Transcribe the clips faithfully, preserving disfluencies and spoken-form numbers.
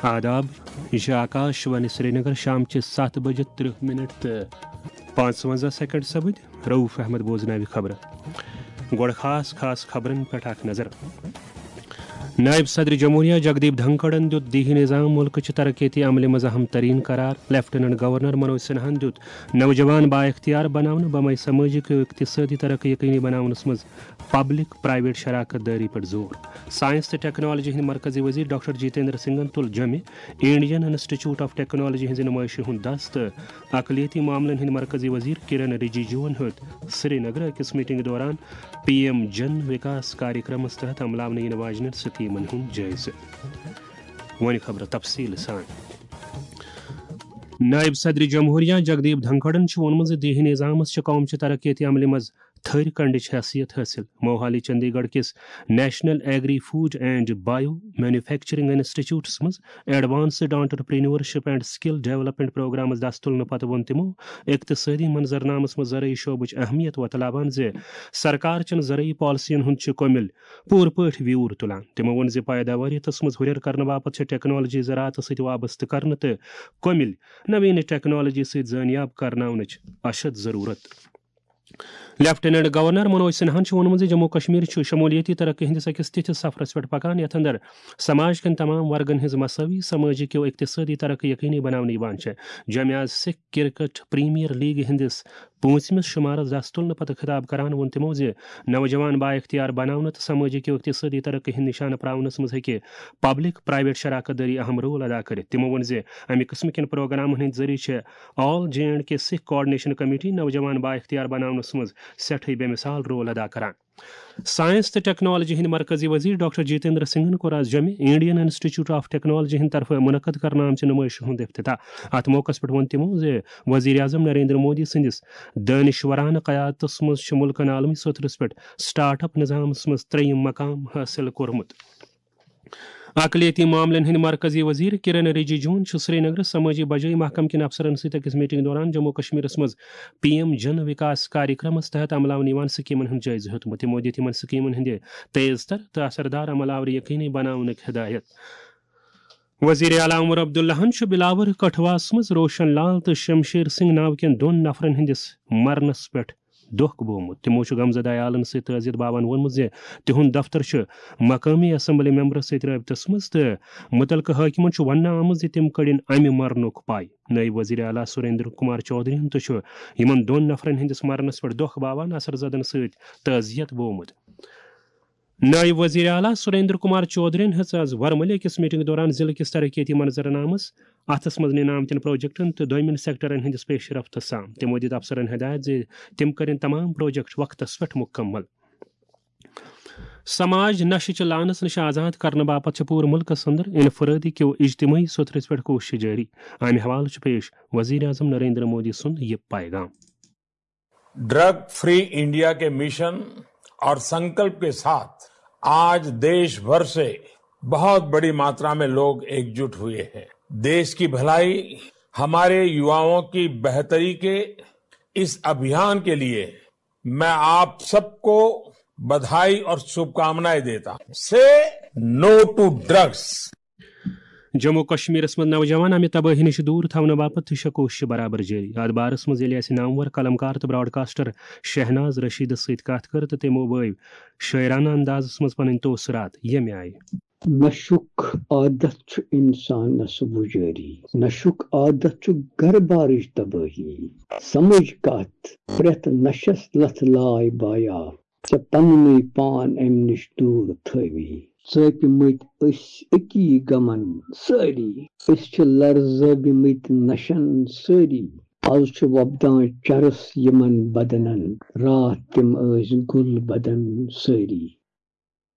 آداب، یہِ چھِ آکاش وانی سرینگر، شام چہِ ستھ بجہِ ترٕہ منٹ تہٕ پانٛژوَنٛزاہ سیکنڈ سپٕدۍ۔ رؤف احمد بوزناوِ خبرٕ۔ گۄڈٕ خاص خاص خبرن پٮ۪ٹھ اکھ نظر۔ نائب صدر جمہوریہ جگدیپ دھنکھڑن دیُت دیہی نظام ملکٕچہِ ترقیتی عملہِ منٛز اہم ترین قرار۔ لیفٹیننٹ گورنر منوج سنہاہن دیُت نوجوان بااختیار بناونہٕ بمے سمٲجی تہٕ اقتصٲدی ترقی یقینی بناونس منٛز پبلک پرائیویٹ شراکت دٲری پٮ۪ٹھ زور۔ سائنس تہٕ ٹیکنالوجی ہٕنٛدۍ مرکزی وزیر ڈاکٹر جتیندر سنگھن تُل جوٚمہِ انڈین انسٹیٹیوٹ آف ٹیکنالوجی ہٕنٛزِ نمٲیشہِ ہُنٛد دس تہٕ اقلیتی معاملن ہٕنٛدۍ مرکزی وزیر کرن رجیجوَن ہیوٚت سرینگرٕ أکِس میٹنگ دوران پی ایم جن وکاس کاریکرمس تحت عملاونہٕ یِنہٕ واجنٮ۪ن سکیمن ہُنٛد جٲیزٕ۔ وۄنۍ خبرٕ تفصیٖل سان۔ نائب صدر جمہوریہ جگدیپ دھنکھڑن چھُ ووٚنمُت زِ دیہی نظامس چھِ قوم چہِ ترقیتی عملہِ منٛز تھٔرۍ کنڈٕچ حیثیت حٲصِل۔ موہالی چندی گڑھ کِس national agri food and bio manufacturing انسٹیٹیوٹس منٛز advanced entrepreneurship and skill development پروگرامس دس تُلنہٕ پتہٕ ووٚن تِمو اقتصٲدی منظرنامس منٛز زرعی شعبٕچ اہمیت وۄتلاوان زِ سرکار چٮ۪ن زرعی پالیسین ہُنٛد چھُ کوٚمِل پوٗرٕ پٲٹھۍ ویوٗر تُلان۔ تِمو ووٚن زِ پیداوٲریتس منٛز ہُرٮ۪ر کرنہٕ باپتھ چھِ ٹیکنالوجی زراعتس سۭتۍ وابستہٕ کرنہٕ تہٕ کوٚمِل نوین ٹیکنالوجی سۭتۍ زٲنیاب کرناونٕچ اشد ضروٗرت۔ لیفٹیننٹ گورنر منوج سنہاہن چھُ ووٚنمُت زِ جموں کشمیر چھُ شمولیتی ترقی ہٕنٛدِس أکِس تِتھِس سفرس پٮ۪ٹھ پکان، یتھ اندر سماج کٮ۪ن تمام ورگن ہٕنٛز مساوی سمٲجی کیو اقتصٲدی ترقی یقینی بناونہٕ یِوان چھےٚ۔ جامعہ سکھ کرکٹ پریمیئر لیگ ہٕنٛدِس پوٗنٛژمِس شُمارس دس تُلنہٕ پتہٕ خطاب کران ووٚن تِمو زِ نوجوان بااختیار بناونہٕ تہٕ سمٲجی کیو اقتصٲدی ترقی ہٕنٛدۍ نشانہٕ پراونس منٛز ہیٚکہِ پبلک پرائیویٹ شراکت دٲری اہم رول ادا کٔرِتھ۔ تِمو ووٚن زِ امہِ قٕسمہٕ کٮ۪ن پروگرامن ہٕنٛدۍ ذٔریعہٕ چھِ all J and K Sikh coordination committee نوجوان بااختیار بناونس منٛز سٮ۪ٹھٕے بے مثال رول ادا کران۔ سائنس تہٕ ٹیکنالوجی ہٕنٛدۍ مرکزی وزیر ڈاکٹر جتیندر سنگھن کوٚر آز جوٚمہِ انڈین انسٹیٹیوٹ آف ٹیکنالوجی ہٕنٛدِ طرفہٕ منعقد کرنہٕ آمژِ نمٲیشہِ ہُنٛد افتتاح۔ اتھ موقعس پٮ۪ٹھ ووٚن تِمو زِ وزیر اعظم نریندر مودی سٕنٛدِس دٲنِشورانہٕ قیادتس منٛز چھُ مُلکن عالمی سطحس پٮ۪ٹھ سٹارٹ اپ نظامس منٛز ترٛیٚیِم مقام حٲصِل کوٚرمُت۔ اقلیتی معاملن ہٕنٛدۍ مرکزی وزیر کرن رجیجوَن چھُ سرینگرٕ سمٲجی بجٲیی محکمہٕ کٮ۪ن افسرن سۭتۍ أکِس میٹنگ دوران جموں کشمیرس منٛز پی ایم جن وکاس کاریکرمس تحت عملاونہٕ یِوان سکیمن ہُنٛد جٲیزٕ ہیوٚتمُت۔ تِمو دِتۍ یِمن سکیمن ہٕنٛدِ تیز تر تہٕ اثردار عمل آوری یقینی بناونٕکۍ ہدایت۔ وزیر اعلیٰ عمر عبداللہَن چھُ بلاور کٹھواہَس منٛز روشن لال تہٕ شمشیر سنگھ ناو کٮ۪ن دۄن نفرن ہٕنٛدِس مرنَس پٮ۪ٹھ دۄکھ بوومُت۔ تِمو چھُ غمزدہ عیالَن سۭتۍ تعزیت باوان ووٚنمُت زِ تِہُنٛد دفتر چھُ مقٲمی اسمبلی ممبرَس سۭتۍ رٲبطس منٛز تہٕ مُتعلقہٕ حٲکمَن چھُ وننہٕ آمُت زِ تِم کٔڑِن اَمہِ مرنُک پَے۔ نٲیِب وزیر اعلیٰ سریندر کمار چودھریَن تہِ چھُ یِمَن دۄن نفرَن ہٕنٛدِس مرنَس پٮ۪ٹھ دۄکھ باوان اثر زدن سۭتۍ تعزیت بوومُت۔ نائب وزیر اعلیٰ سریندر کمار چودھرین ہیٚژ آز ورمُلہِ أکِس میٹنگ دوران ضلعہٕ کِس ترقیتی منظرنامس، اتھس منٛز نِنہٕ آمتٮ۪ن پروجیکٹن تہٕ دوٚیمٮ۪ن سیکٹرن ہٕنٛدِس پیش رفت سان۔ تِمو دِتۍ افسرن ہدایت زِ تِم کرن تمام پروجیکٹ وقتس پٮ۪ٹھ مکمل۔ سماج نشہٕ چہِ لعنس نِش آزاد کرنہٕ باپتھ چھِ پوٗرٕ مُلکس اندر انفرٲدی کیو اجتمٲعی سوٚتھرِس پٮ۪ٹھ کوٗششہٕ جٲری۔ امہِ حوالہٕ چھُ پیش وزیر اعظم نریندر مودی سُنٛد یہِ پیغام۔ ड्रग फ्री इंडिया के मिशन और संकल्प के साथ आज देश भर से बहुत बड़ी मात्रा में लोग एकजुट हुए हैं। देश की भलाई, हमारे युवाओं की बेहतरी के इस अभियान के लिए मैं आप सबको बधाई और शुभकामनाएं देता हूं। से नो टू ड्रग्स। جموں و کشمیرس منٛز نوجوان امہِ تبٲہی نِش دوٗر تھاونہٕ باپتھ تہِ چھےٚ کوٗششہٕ برابر جٲری۔ اتھ بارس منٛز ییٚلہِ اسہِ نامور قلمکار تہٕ براڈکاسٹر شہناز رشیدس سۭتۍ کتھ کٔر تہٕ تِمو بٲوۍ شٲعرانہٕ اندازس منٛز پنٕنۍ تٲثرات، ییٚمہِ آیہِ۔ نشُک عادت چھُ انسانس وُجٲری۔ نشُک عادت چھُ گرٕ بارٕچ تبٲہی۔ سمجھ کتھ، پرٛٮ۪تھ نشس لتھ لاے بایا۔ ژےٚ پننُے پان امہِ نِش دوٗر تھٲوی۔ ژٲپۍ مٕتۍ أسۍ أکی غمن سٲری۔ أسۍ چھِ لرزٲوۍ مٕتۍ نشن سٲری۔ از چھُ وۄپدان چرس یِمن بدنن۔ راتھ تِم ٲسۍ گُل بدن سٲری۔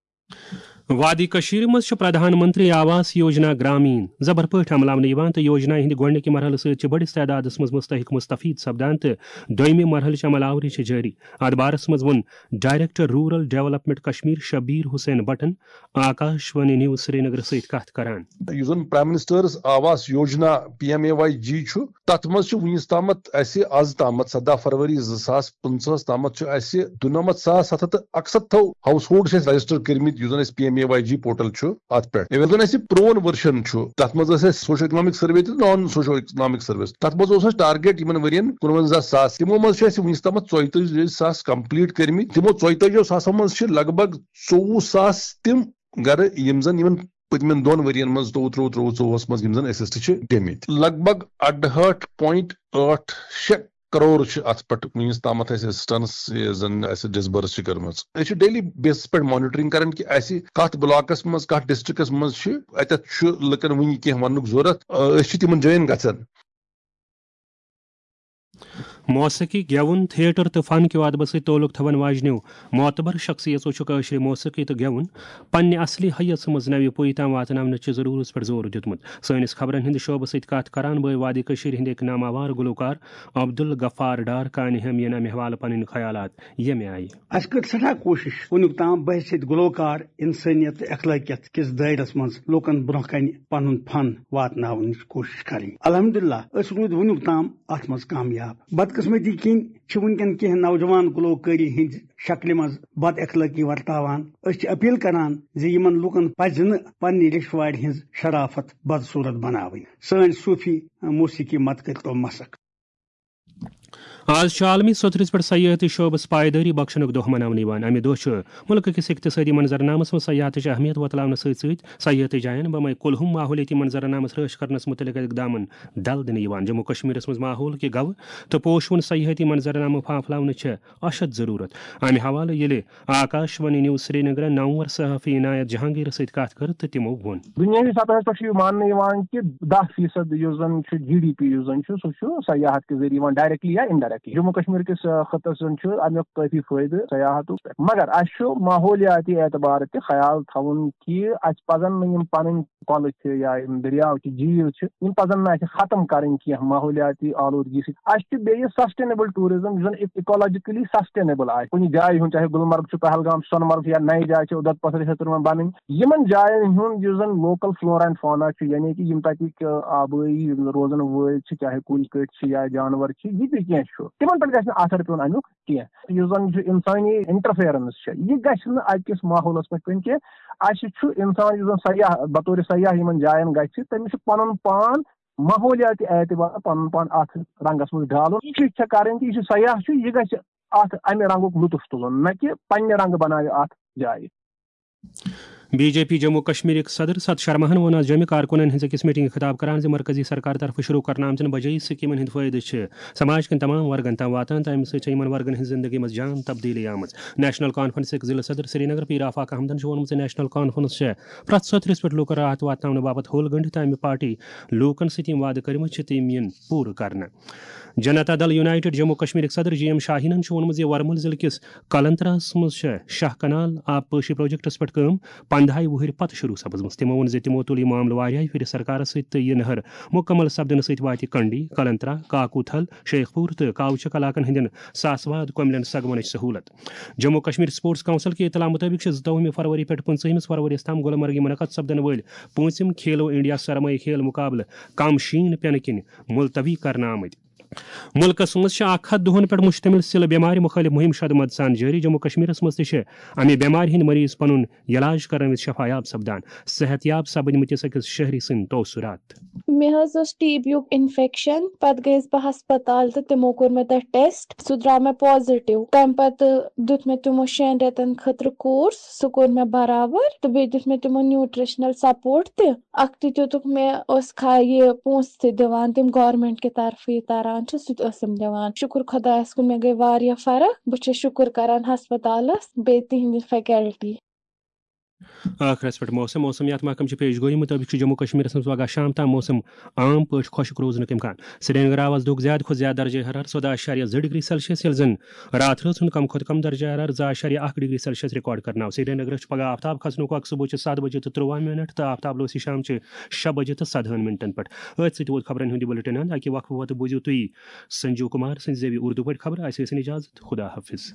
وادی کٔشیٖرِ منٛز چھُ پرٛدھان منتری آواس یوجنا گرٛامیٖن زبر پٲٹھۍ عملاونہٕ یِوان تہٕ یوجنا ہٕنٛدِ گۄڈٕنِکہِ مرحلہٕ سۭتۍ چھِ بٔڑِس تعدادَس منٛز مُستحق مُستفیٖد سپدان تہٕ دوٚیمہِ مرحلٕچ عمل آوری چھِ جٲری۔ اَتھ بارَس منٛز ووٚن director rural development Kashmir Shabir Hussain بٹن آکاش وانی نیوز سرینگرٕ سۭتۍ کتھ کران۔ یُس زن prime minister's Awas Yojana, P M A Y G چھُ، تتھ منٛز چھِ وُنیُس تامتھ اسہِ از تامتھ، سداہ فروری زٕ ساس پٕنٛژٕہس تامتھ چھُ اسہِ دُنمتھ ساس ستھ ہتھ تہٕ اکستتھو ہاؤس ہولڈ چھِ اسہِ رجسٹر کٔرمٕتۍ، یُس زن أسۍ پی ایم کے وائی جی پورٹل چھُ اَتھ پٮ۪ٹھ۔ ییٚلہِ زَن اَسہِ پرون ورجن چھُ، تَتھ منٛز ٲسۍ اَسہِ سوشو اکنامک سروے تہٕ نان سوشو اکنامک سروے۔ تَتھ منٛز اوس اَسہِ ٹارگیٹ یِمن ؤرین کُنوَنزاہ ساس۔ تِمو منٛز چھِ اَسہِ وٕنیُک تامَتھ ژۄیتٲجی ساس کمپلیٖٹ کٔرمٕتۍ۔ تِمو ژۄیتٲجی ساسو منٛز چھِ لگ بگ ژوٚوُہ ساس تِم گرٕ، یِم زَن یِمن پٔتمٮ۪ن دۄن ؤرین منٛز، زٕتووُہ، ترٛوٚوُہ، ترٛوٚوُہ، ژوٚوُہس منٛز یِم زَن اسسٹ چھِ گٔمٕتۍ۔ لگ بگ اَڑہٲٹھ point ٲٹھ شےٚ کرور چھِ اَتھ پٮ۪ٹھ وٕنیُک تامَتھ اَسہِ اسسٹنس یہِ زَن اَسہِ ڈسبرس چھِ کٔرمٕژ۔ أسۍ چھِ ڈیلی بیسس پٮ۪ٹھ مانیٹرنگ کران کہِ اَسہِ کَتھ بلاکس منٛز، کَتھ ڈسٹرکٹس منٛز چھِ، اَتٮ۪تھ چھُ لُکن وٕنہِ کینٛہہ وَننُک ضروٗرت۔ أسۍ چھِ تِمن جاین گژھان۔ موسیقی، گٮ۪وُن، تھیٹر تہٕ فن کیو ادبس سۭتۍ تعلق تھاون واجنیو معتبر شخصیژو چھُ کٲشرِ موسیقی تہٕ گٮ۪وُن پننہِ اصلی حیث منٛز نوِ پُیہِ تام واتناونٕچہِ ضرورژ پٮ۪ٹھ زور دیُتمُت۔ سٲنِس خبرن ہٕنٛدِ شعبہٕ سۭتۍ کتھ کران بٲے وادی کٔشیٖرِ ہٕنٛدۍ أکۍ ناماوار گلوکار عبدالغفار ڈار کانہِ ہم یِن امہِ حوالہٕ پنٕنۍ خیالات ییٚمہِ آیہِ۔ اسہِ کٔر سٮ۪ٹھاہ کوٗشش وُنیُک تام بحیثیت گلوکار، انسٲنیت تہٕ اخلٲقیت کِس دٲیرس منٛز لوٗکن برونٛہہ کنہِ پنُن فن واتناونٕچ کوٗشش کرٕنۍ۔ الحمدللہ، أسۍ روٗدۍ وُنیُک تام اتھ منٛز کامیاب۔ بدقسمتی کِنۍ چھِ وُنکٮ۪ن کینٛہہ نوجوان گلوکٲری ہٕنٛدِ شکلہِ منٛز بد اخلٲقی ورتاوان۔ أسۍ چھِ اپیل کران زِ یِمن لوٗکن پزِ نہٕ پننہِ ریشوارِ ہٕنٛز شرافت بدصورت بناوٕنۍ۔ سٲنۍ صوٗفی موسیقی مت کٔرتو مسخ۔ آز چھُ عالمی سوٚتھرِس پٮ۪ٹھ سیاحتی شعبس پائیدٲری بخشنُک دۄہ مناونہٕ یِوان۔ امہِ دۄہ چھُ مُلکہٕ کِس اقتصٲدی منظرنامس منٛز سیاحتٕچ اہمیت وۄتلاونہٕ سۭتۍ سۭتۍ سیاحتی جاین بمے کُلہُم ماحولیٲتی منظرنامس رٲچھ کرنس مُتعلق اقدامن ڈل دِنہٕ یِوان۔ جموں کشمیرس منٛز ماحول کہِ گوٕ تہٕ پوشہٕ وُن سیاحتی منظرنامہٕ پھانپھلاونٕچ چھےٚ اشد ضروٗرت۔ امہِ حوالہٕ ییٚلہِ آکاش وانی نیوز سرینگرن نامور صحافی عنایت جہانگیرس سۭتۍ کتھ کٔر تہٕ تِمو ووٚن۔ دُنیٲوی سطحس پٮ۪ٹھ چھُ یہِ ماننہٕ یِوان کہِ دَہ فیٖصد یُس زَن چھُ جی ڈی پی، یُس زَن چھُ، سُہ چھُ سیاحت کہِ ذٔریعہٕ یِوان، ڈائریکٹلی یا انڈائریکٹلی۔ جموں کشمیر کِس، آ، خطس زَن چھُ اَمیُک کٲفی فٲیدٕ سیاحتُک پٮ۪ٹھ۔ مگر اَسہِ چھُ ماحولیاتی اعتبار تہِ خیال تھاوُن کہِ اَسہِ پَزَن نہٕ یِم پَنٕنۍ کۄلہٕ چھِ یا یِم دٔریاو چھِ، جھیٖل چھِ، یِم پَزَن نہٕ اَسہِ ختم کَرٕنۍ کینٛہہ ماحولیاتی آلودگی سۭتۍ۔ اَسہِ چھُ بیٚیہِ سسٹینیبل ٹوٗرِزم، یُس زَن اِکولوجیکلی سسٹینیبل آسہِ۔ کُنہِ جایہِ ہُنٛد، چاہے گُلمرگ چھُ، پہلگام چھُ، سۄنہٕ مرگ چھُ یا نَیہِ جایہِ چھِ، اُدھمپتھر چھِ تِمن بَنٕنۍ۔ یِمن جاین ہُنٛد یُس زَن لوکل فلورا اینڈ فونا چھُ، یعنی کہِ یِم تَتِکۍ، آ، آبٲیی روزن وٲلۍ چھِ، چاہے کُلۍ کٔٹۍ چھِ یا جانور چھِ، یہِ تہِ کینٛہہ چھُ، تِمن پٮ۪ٹھ گژھِ نہٕ اثر پیوٚن اَمیُک کینٛہہ۔ یُس زَن یہِ اِنسٲنی انٹرفیرنس چھِ، یہِ گژھِ نہٕ اَکہِ کِس ماحولس پٮ۪ٹھ پیوٚن کینٛہہ۔ اَسہِ چھُ اِنسان یُس زَن سیاح، بطورِ سیاح یِمن جاین گژھِ، تٔمِس چھُ پَنُن پان ماحولیاتی اعتبار پَنُن پان اَتھ رنگس منٛز ڈالُن۔ یہِ چھِ چھےٚ کَرٕنۍ کہِ یہِ چھُ سیاح چھُ، یہِ گژھِ اَتھ اَمہِ رنگُک لطف تُلُن، نہ کہِ پننہِ رنگہٕ بناوِ اَتھ جایہِ۔ بی جے پی جموں کشمیرٕکۍ صدر ست شرماہن ووٚن آز جوٚمہِ کارکُنن ہٕنٛز أکِس میٹنگہِ خطاب کران زِ مرکزی سرکار طرفہٕ شروع کرنہٕ آمژن بجٲیی سکیمن ہٕنٛدۍ فٲیدٕ چھِ سماج کٮ۪ن تمام ورگن تام واتان تہٕ امہِ سۭتۍ چھےٚ یِمن ورگن ہٕنٛز زندگی منٛز جان تبدیٖلی آمٕژ۔ نیشنل کانفرنسٕکۍ ضلع صدر سرینگر پیٖر آفاق احمدن چھُ ووٚنمُت زِ نیشنل کانفرنس چھےٚ پرٛٮ۪تھ سطحس پٮ۪ٹھ لوٗکن راحت واتناونہٕ باپتھ ہوٚل گٔنٛڈِتھ تہٕ امہِ پارٹی لوٗکن سۭتۍ یِم وعدٕ کٔرمٕتۍ چھِ، تِم یِن پوٗرٕ کرنہٕ۔ جنتا دل یونائیٹڈ جموں کشمیرٕکۍ صدر جی ایم شاہینن چھُ ووٚنمُت زِ ورمُل ضلعہٕ کِس کلنتراہس منٛز چھےٚ شاہ کنال آب پٲشی پروجیکٹس پٮ۪ٹھ کٲم پندہاے وُہٕرۍ پتہٕ شروع سپٕزمٕژ۔ تِمو ووٚن زِ تِمو تُل یہِ معاملہٕ واریاہہِ پھِرِ سرکارس سۭتۍ تہٕ یہِ نہر مُکمل سپدنہٕ سۭتۍ واتہِ کنڈی، کلنترا، کاکوتھل، شیخ پور تہٕ کاوچک علاقن ہٕنٛدٮ۪ن ساسہٕ واد کۄملٮ۪ن سگمنٕچ سہولت۔ جموں کشمیر سپورٹس کونسل کہِ اطلاع مُطٲبِق چھِ زٕتووُہمہِ فروری پٮ۪ٹھ پٕنٛژٕہمِس فرؤریَس تام گلمرگہِ منعقد سپدن وٲلۍ پوٗنٛژِم کھیلو انڈیا سرمایہ کھیل مُقابلہٕ کم شیٖن پٮ۪نہٕ کِنۍ ملتوی کرنہٕ آمٕتۍ۔ مُلکَس منٛز چھِ اکھ ہَتھ دۄہَن پٮ۪ٹھ مشتمل سِلہٕ بٮ۪مارِ مُخٲلِف مُہِم شدٕ مدٕ سان جٲری۔ جموں کشمیرَس منٛز تہِ چھِ اَمہِ بٮ۪مارِ ہٕنٛدۍ مریض پنُن علاج کرنہٕ وِزِ شفایاب سپدان۔ صحت یاب سپٕدمٕتِس أکِس شہری سٕنٛدۍ تاثرات۔ مےٚ حظ اوس ٹی بی یُک انفیکشن، پتہٕ گٔیَس بہٕ ہسپتال تہٕ تِمو کوٚر مےٚ تتہِ ٹیسٹ، سُہ درٛاو مےٚ پازیٹیو۔ تمہِ پتہٕ دیُت مےٚ تِمو شٮ۪ن رٮ۪تن خٲطرٕ کورس، سُہ کوٚر مےٚ برابر، تہٕ بیٚیہِ دیُت مےٚ تِمو نیوٗٹریشنل سپورٹ تہِ۔ اکھتُے دیُتُکھ مےٚ، ٲس کھا-، یہِ پونٛسہٕ تہِ دِوان، تِم گورمنٹ کہِ طرفہٕ یہِ تران چھُ، سُہ تہِ ٲسٕم دِوان۔ شُکُر خۄدایَس کُن، مےٚ گٔے واریاہ فرق۔ بہٕ چھَس شُکُر کران ہسپتالس، بیٚیہِ تِہنٛدِ فیکلٹی۔ ٲخرس پٮ۪ٹھ موسم۔ موسمیات محکمہٕ چہِ پیش گویی مُطٲبِق چھُ جموں کشمیرس منٛز پگاہ شام تام موسم عام پٲٹھۍ خۄشک روزنُک امکان۔ سرینگر آو آز دۄہُک زیادٕ کھۄتہٕ زیادٕ درجہ حرارت ژۄداہ اعشاریہ زٕ ڈگری سیلسیس، ییٚلہِ زن راتھ رٲژ ہُنٛد کم کھۄتہٕ کم درجہ حرارت زٕ اعشاریہ اکھ ڈگری سیلسیس ریکارڈ کرنہٕ آو۔ سرینگرس چھُ پگاہ آفتاب کھسنُک وقت صبحٕچہِ ستھ بجے تہٕ ترٛواہ منٹ تہٕ آفتاب لوسی شامچہِ شےٚ بجے تہٕ سدہن منٹن پٮ۪ٹھ۔ أتھۍ سۭتۍ ووت خبرن ہُنٛد یہِ بُلٹن اند۔ اَکہِ وقفہٕ پتہٕ بوٗزِو تُہۍ سنجیو کمار سٕنٛزِ زیوِ اردو پٲٹھۍ خبرٕ۔ اَسہِ ٲسِن اجازت۔ خدا حافظ۔